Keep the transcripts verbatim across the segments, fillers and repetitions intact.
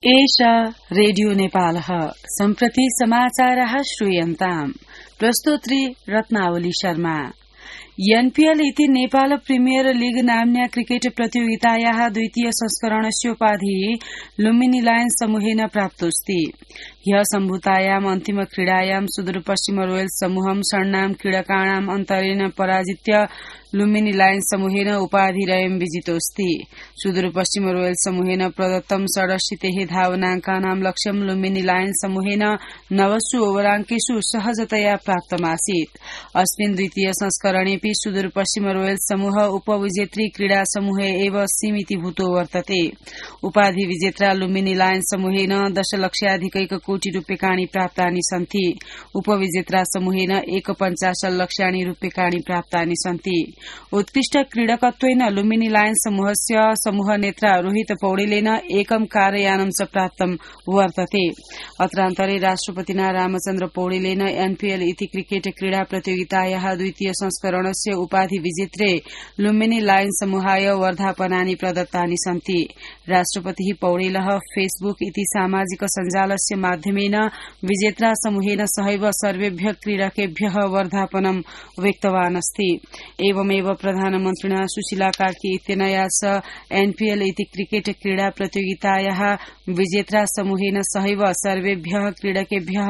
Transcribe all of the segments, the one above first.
एषा रेडियो नेपालः सम्प्रति समाचारः श्रूयन्ताम्। प्रस्तोत्री रत्नावली शर्मा। एनपीएल इति नेपाल प्रिमियर लीग नाम्न्या क्रिकेट प्रतियोगितायाः द्वितीय संस्करणस्य उपाधिः लुम्बिनी लायन्स समूहेन प्राप्तोऽस्ति। ह्यः सम्भूतायाम् अन्तिम क्रीडायां सुदूरपश्चिम रोयल्स समूहं षण्णां क्रीडकाणाम् अन्तरेण पराजित्य लुम्बिनी लायन्स समूहेन उपाधिरयं विजितोऽस्ति। सुदूरपश्चिम रोयल्स समूहेन प्रदत्तं षडशीतिः धावनाङ्कानां लक्ष्यं लुम्बिनी लायन्स समूहेन नवसु ओवराङ्केषु सहजतया प्राप्तमासीत्। अस्मिन् द्वितीय संस्करणेऽपि सुदूरपश्चिम रोयल्स समूह उपविजेत्री क्रीडा समूहे एव सीमितीभूतो वर्तते। उपाधि विजेत्रा लुम्बिनी लायन्स समूहेन दशलक्षाधिकैक कोटि रूप्यकाणि प्राप्तानि सन्ति। उपविजेत्रा समूहेन एकपञ्चाशत् लक्षाणि रूप्यकाणि प्राप्तानि सन्ति। उत्कृष्ट क्रीडकत्वेन लुम्बिनी लायन्स समूहस्य समूह नेत्रा रोहित पौडेलेन एकं कारयानं च प्राप्तं वर्तते। अत्रान्तरे राष्ट्रपतिना रामचन्द्र पौडेलेन एनपीएल इति क्रिकेट क्रीडा प्रतियोगितायाः द्वितीय संस्करणस्य उपाधि विजेत्रे लुम्बिनी लायन्स समूहाय वर्धापनानि प्रदत्तानि सन्ति। राष्ट्रपतिः पौडेलः फेसबुक इति सामाजिक सञ्जालस्य माध्यमेन विजेत्रा समूहेन सहैव सर्वेभ्यः क्रीडकेभ्यः वर्धापनं व्यक्तवान् अस्ति। एवमेव प्रधानमन्त्रिणा सुशीला कार्की इत्यनया च एनपीएल इति क्रिकेट क्रीडा प्रतियोगितायाः विजेत्रा समूहेन सहैव सर्वेभ्यः क्रीडकेभ्यः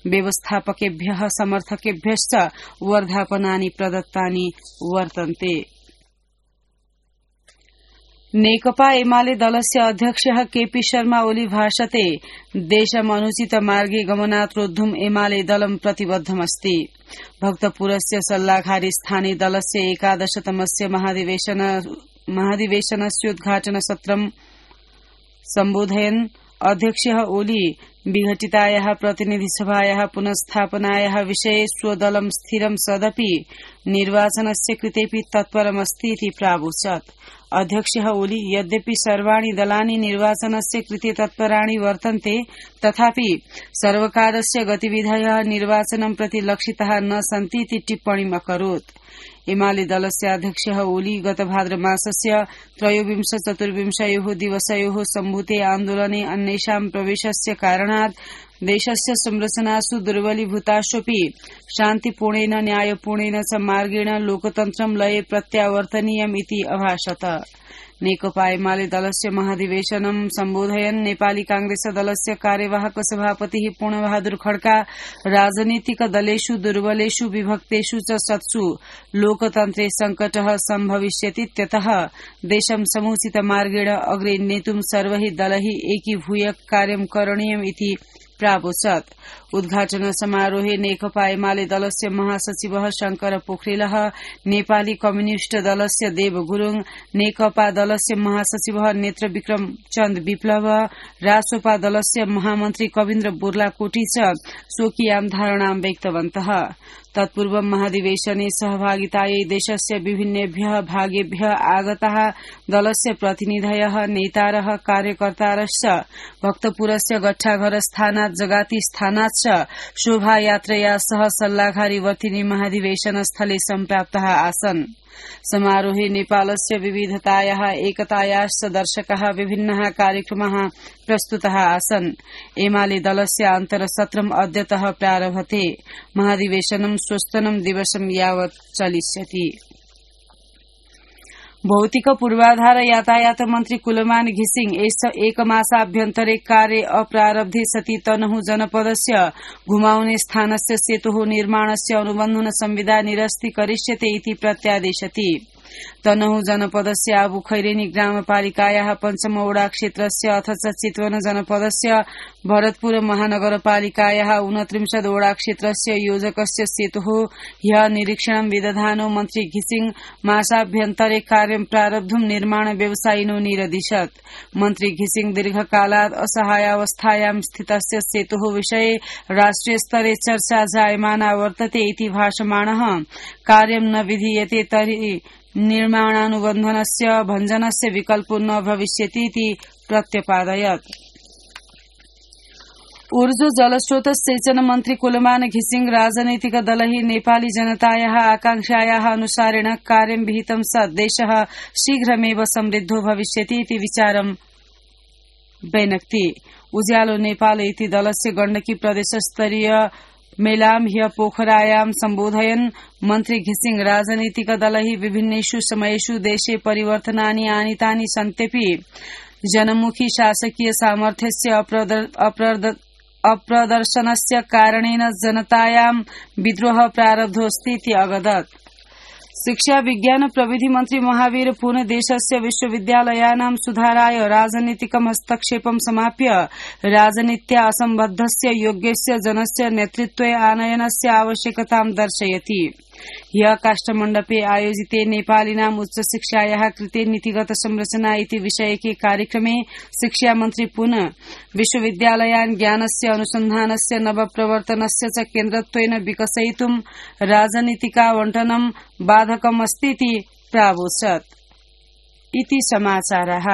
व्यवस्थापकेभ्यः समर्थकेभ्यश्च वर्धापनानि प्रदत्तानि वर्तन्ते। नेकपा एमाले दलस्य अध्यक्षः केपी शर्मा ओली भाषते देशम् अनुचित मार्गे गमनात् रोद्धुम् एमाले दलं प्रतिबद्धमस्ति। भक्तपुरस्य सल्लाघारी स्थानीय दलस्य एकादशतमस्य महाधिवेशन महाधिवेशनस्योद्घाटन सत्रं सम्बोधयन् अध्यक्षः ओली विघटितायाः प्रतिनिधिसभायाः पुनस्थापनायाः विषये स्वदलं स्थिरं सदपि निर्वाचनस्य कृतेऽपि तत्परमस्ति इति प्रावोचत्। अध्यक्षः ओली यद्यपि सर्वाणि दलानि निर्वाचनस्य कृते तत्पराणि वर्तन्ते तथापि सर्वकारस्य गतिविधयः निर्वाचनं प्रति लक्षिताः न सन्ति इति टिप्पणीम् अकरोत्। एमाले दलस्य अध्यक्षः ओली गत भाद्रमासस्य त्रयोविंश चतुर्विंशयोः दिवसयोः सम्भूते आन्दोलने अन्येषां प्रवेशस्य कारणात् देशस्य संरचनासु दुर्बलीभूताश्वपि शान्तिपूर्णेन न्यायपूर्णेन च मार्गेण लोकतन्त्रं लये प्रत्यावर्तनीयम् इति अभाषत। नेकपा एमाले दलस्य महाधिवेशनं सम्बोधयन् नेपाली कांग्रेस दलस्य कार्यवाहक सभापतिः पूर्णबहादुर खड्का राजनीतिक दलेषु दुर्बलेषु विभक्तेषु च सत्सु लोकतन्त्रे संकटः सम्भविष्यतीत्यतः देशं समुचित मार्गेण अग्रे नेतुं सर्वैः दलैः एकीभूय कार्यं करणीयम् इति प्रावोचत्। उद्घाटन समारोहे नेकपा एमाले दलस्य महासचिवः शंकर पोखरेलः, नेपाली कम्युनिष्ट दलस्य देव गुरूङ, नेकपा दलस्य महासचिवः नेत्र विक्रम चन्द विप्लव, रासोपा दलस्य महामन्त्री कविन्द्र बोर्लाकोटी च स्वकीयां धारणां व्यक्तवन्तः। तत्पूर्व महाधिवेशने सहभागितायै देशस्य विभिन्नेभ्यः भागेभ्यः आगताः दलस्य प्रतिनिधयः नेतारः कार्यकर्तारश्च भक्तपुरस्य गट्ठाघर स्थानात् जगाती स्थानात् च शोभायात्रया सह सल्लाघारी वर्तिनी महाधिवेशन स्थले सम्प्राप्ताः आसन्। समारोहे नेपालस्य विविधतायाः एकतायाश्च दर्शकाः विभिन्नाः कार्यक्रमाः प्रस्तुताः आसन्। एमाले दलस्य अन्तरसत्रम् अद्यतः प्रारभते। महाधिवेशनं स्वस्तनं दिवसं यावत् चलिष्यति। भौतिक पूर्वाधार यातायात मन्त्री कुलमान घिसिङ एकमासाभ्यन्तरे कार्य अप्रारब्धे सति तनहु जनपदस्य घुमाउने स्थानस्य सेतुः निर्माणस्य अनुबन्धन संविदा निरस्ति करिष्यते इति प्रत्यादेशति। तनहु जनपदस्य आबु खैरेनी ग्रामपालिकायाः पञ्चम वडा क्षेत्रस्य अथ च चितवन जनपदस्य भरतपुर महानगरपालिकायाः ऊनत्रिंशत् वडा क्षेत्रस्य योजकस्य सेतुः ह्यः निरीक्षणं विदधानो मन्त्री घिसिङ मासाभ्यन्तरे कार्यं प्रारब्धुं निर्माण व्यवसायिनो निरदिशत्। मन्त्री घिसिङ दीर्घकालात् असहायावस्थायां स्थितस्य सेतुः विषये राष्ट्रिय स्तरे चर्चा जायमाना वर्तते इति भाषमाणः कार्यं न विधीयते तर्हि निर्माणानुबन्धनस्य भञ्जनस्य विकल्पो न भविष्यति इति प्रत्यपादयत्। ऊर्जा जलस्रोत सिंचन मन्त्री कुलमान घिसिङ राजनैतिक दलैः नेपाली जनतायाः आकांक्षायाः अनुसारेण कार्यं विहितं सत् देशः शीघ्रमेव समृद्धो भविष्यति इति विचारं व्यनक्ति। उज्यालो नेपाल इति दलस्य गण्डकी प्रदेशस्तरीय मेलाम ह्य पोखरायां सम्बोधयन् मन्त्री घिसिङ राजनीतिक दलैः विभिन्नेषु समयेषु देशे परिवर्तनानि आनीतानि सन्त्यपि जनमुखी शासकीय सामर्थ्यस्य अप्रदर्शनस्य कारणेन जनतायां विद्रोह प्रारब्धोऽस्ति इति अवदत्। शिक्षा विज्ञान प्रविधि मन्त्री महावीर पुन देशस्य विश्वविद्यालयानां सुधाराय राजनीतिकं हस्तक्षेपं समाप्य राजनीत्या असम्बद्धस्य योग्यस्य जनस्य नेतृत्वे आनयनस्य आवश्यकतां दर्शयति। ह्यः काष्ठमण्डपे आयोजिते नेपालिनां उच्चशिक्षायाः कृते नीतिगत संरचना इति विषयके कार्यक्रमे शिक्षामन्त्री पुनः विश्वविद्यालयान् ज्ञानस्य अनुसन्धानस्य नवप्रवर्तनस्य च केन्द्रत्वेन विकसयितुं राजनीतिकावण्टनं बाधकमस्तीति प्रावोचत्। इति समाचारः।